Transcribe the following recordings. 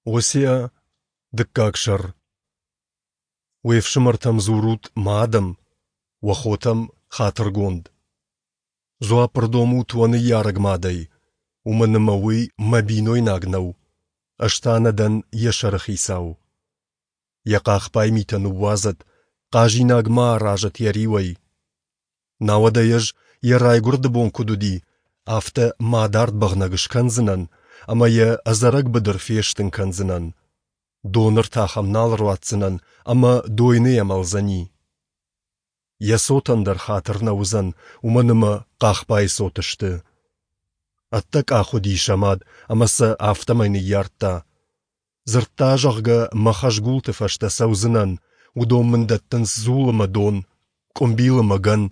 Осиа, дыккаг сӕр. Уе фсымӕртӕм дзурут мӕ адӕм, уӕ хотӕм хатыргонд. Дзуапп ӕрдомут уӕ ныййарӕг мадӕй, уымӕн ӕмӕ уый мӕ бинойнаг нӕу, ӕз та нӕ дӕн йӕ сӕрыхицау. Йӕ хъахбай митӕ ныууадзӕд, хъазинаг ма аразӕд йӕ риуӕй. Науӕд ӕй ӕз, йӕ райгуырды бон куыд уыди, афтӕ мадард бӕгънӕг скӕндзынӕн ӕмӕ йӕ ӕдзӕрӕг быдыр фестын кӕндзынӕн. Доны ртах ӕм нал ӕруадздзынӕн ӕмӕ дойныйӕ мӕлдзӕни. Йӕ цотӕн дӕр хатыр нӕ уыдзӕн, уымӕн ӕмӕ хъахбайы цот сты. Ӕддӕкъах уыди сӕ мад ӕмӕ сӕ афтӕмӕй ныййардта. Дзырдта, зӕгъгӕ, мӕ хӕзгулты фӕстӕ цӕудзынӕн, уыдон мын дӕттынц дзул ӕмӕ дон, къуымбил ӕмӕ гӕн,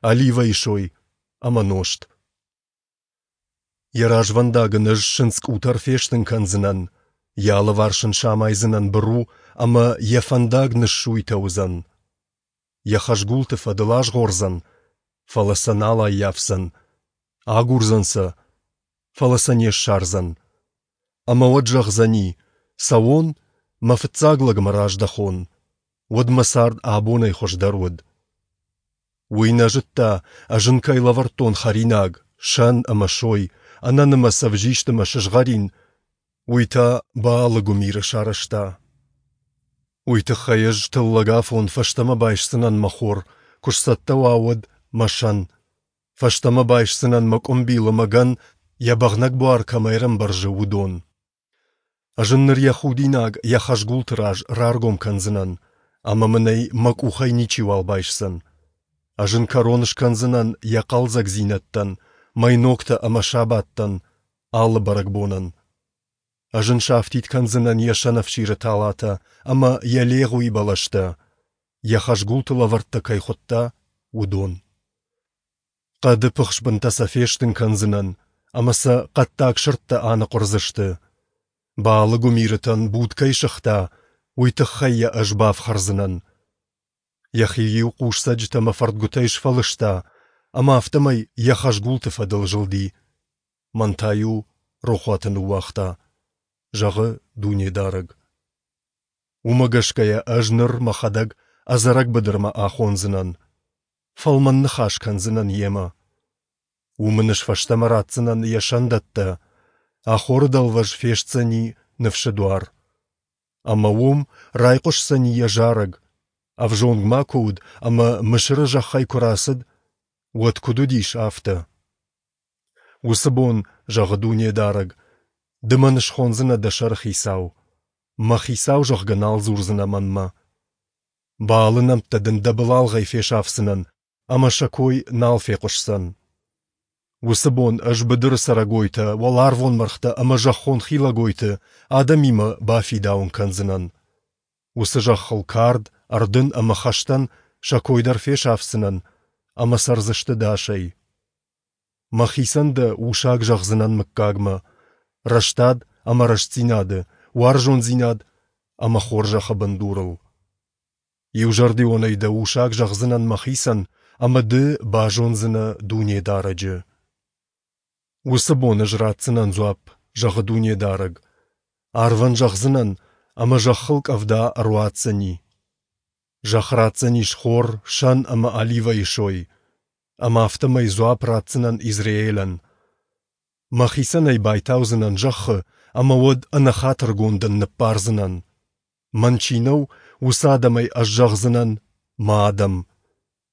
оливӕйы сой ӕмӕ нозт. Йӕ развӕндаг ын ӕз сындз къутӕр фестын кӕндзынӕн, йӕ алыварс ын самайдзынӕн быру ӕмӕ йӕ фӕндаг ныссуйтӕ уыдзӕн. Йӕ хӕзгулты фӕдыл азгъордзӕн, фӕлӕ сӕ нал аййафдзӕн, агурдзӕн сӕ, фӕлӕ сӕ не ссардзӕн. Ӕмӕ уӕд зӕгъдзӕни, цӕуон, мӕ фыццаг лӕгмӕ раздӕхон, уӕд мӕ цард абонӕй хуыздӕр уыд. Уый нӕ зыдта, ӕз ын кӕй лӕвӕрдтон хӕринаг, сӕн ӕмӕ сой, ӕнӕнымӕц ӕвзист ӕмӕ сызгъӕрин, уый та Баалы гуымиры сарӕзта. Уый тыххӕй ӕз тыллӕг афон фӕстӕмӕ байсдзынӕн мӕ хор, куы сцӕттӕ уа, уӕд мӕ сӕн. Фӕстӕмӕ байсдзынӕн мӕ къуымбил ӕмӕ гӕн, йӕ бӕгънӕг буар кӕм ӕрӕмбӕрзы, уыдон. Ӕз ын ныр йӕ худинаг йӕ хӕзгулты раз раргом кӕндзынӕн, ӕмӕ мын ӕй мӕ къухӕй ничиуал байсдзӕн. Ӕз ын кӕрон скӕндзынӕн йӕ хъӕлдзӕгдзинӕдтӕн, мӕйногтӕ ӕмӕ сабаттӕн, алы бӕрӕгбонӕн. Ӕз ын сафтид кӕндзынӕн йӕ сӕнӕфсиры талатӕ ӕмӕ йӕ легъуи бӕлӕстӕ, йӕ хӕзгулты лӕвӕрттӕ кӕй хуыдта, уыдон. Хъӕды пыхсбынтӕ сӕ фестын кӕндзынӕн, ӕмӕ сӕ хъӕддаг сырдтӕ аныхъуырдзысты. Баалы гуымирытӕн буд кӕй сыгъта, уый тыххӕй йӕ ӕз бафхӕрдзынӕн. Йӕхи-иу хъусцӕджытӕ ӕмӕ фӕрдгуытӕй сфӕлыста, ӕмӕ афтӕмӕй йӕ хӕзгулты фӕдыл зылди. Мӕн та-иу рохуаты ныууагъта, зӕгъы Дунедарӕг. Уымӕ гӕсгӕ йӕ ӕз ныр мӕхӕдӕг ӕдзӕрӕг быдырмӕ ахондзынӕн. Фӕлмӕн ныхас кӕндзынӕн йемӕ. Уым ын ӕз фӕстӕмӕ ратдзынӕн йӕ сӕндӕттӕ, Ахоры дӕлвӕз фестдзӕни ныфсы дуар. Ӕмӕ уым райхъуысдзӕни йӕ зарӕг, ӕвзонг ма куы уыд ӕмӕ Мысыры зӕххӕй куы рацыд, уӕд куыд уыдис, афтӕ. Уыцы бон, зӕгъы Дунедарӕг, ды мӕн схондзынӕ дӕ сӕрыхицау, мӕ хицау, зӕгъгӕ, нал дзурдзынӕ мӕнмӕ. Баалы нӕмттӕ дын дӕ былалгъӕй фесафдзынӕн, ӕмӕ сӕ кой нал фехъуысдзӕн. Уыцы бон ӕз быдыры цӕрӕгойтӕ, уӕларвон мӕргътӕ ӕмӕ зӕххон хилӕгойты адӕмимӕ бафидауын кӕндзынӕн. Уыцы зӕххыл кард, ӕрдын ӕмӕ хӕстӕн сӕ кой дӕр фесафдзынӕн, ӕмӕ цӕрдзысты дӕсӕй. Мӕхицӕн дӕ усаг зӕгъдзынӕн мыггагмӕ, рӕстад ӕмӕ рӕстдзинады, уарзондзинад ӕмӕ хорзӕхы бындурыл. Иузӕрдионӕй дӕ усаг зӕгъдзынӕн мӕхицӕн, ӕмӕ ды базондзынӕ Дунедарӕджы. Уыцы бон ӕз ратдзынӕн дзуапп, зӕгъы Дунедарӕг. Арвӕн зӕгъдзынӕн, ӕмӕ зӕххыл къӕвда ӕруадздзӕни. Зӕхх ратдзӕнис хор, сӕн ӕмӕ оливӕйы сой, ӕмӕ афтӕмӕй дзуапп ратдзынӕн Израилӕн. Мӕхицӕн ӕй байтаудзынӕн зӕххы, ӕмӕ уӕд ӕнӕхатыргондӕн ныббардзынӕн. Мӕн чи нӕу, уыцы адӕмӕй ӕз зӕгъдзынӕн, мӕ адӕм.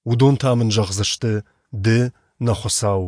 Уыдон та мын зӕгъдзысты, ды, нӕ Хуыцау.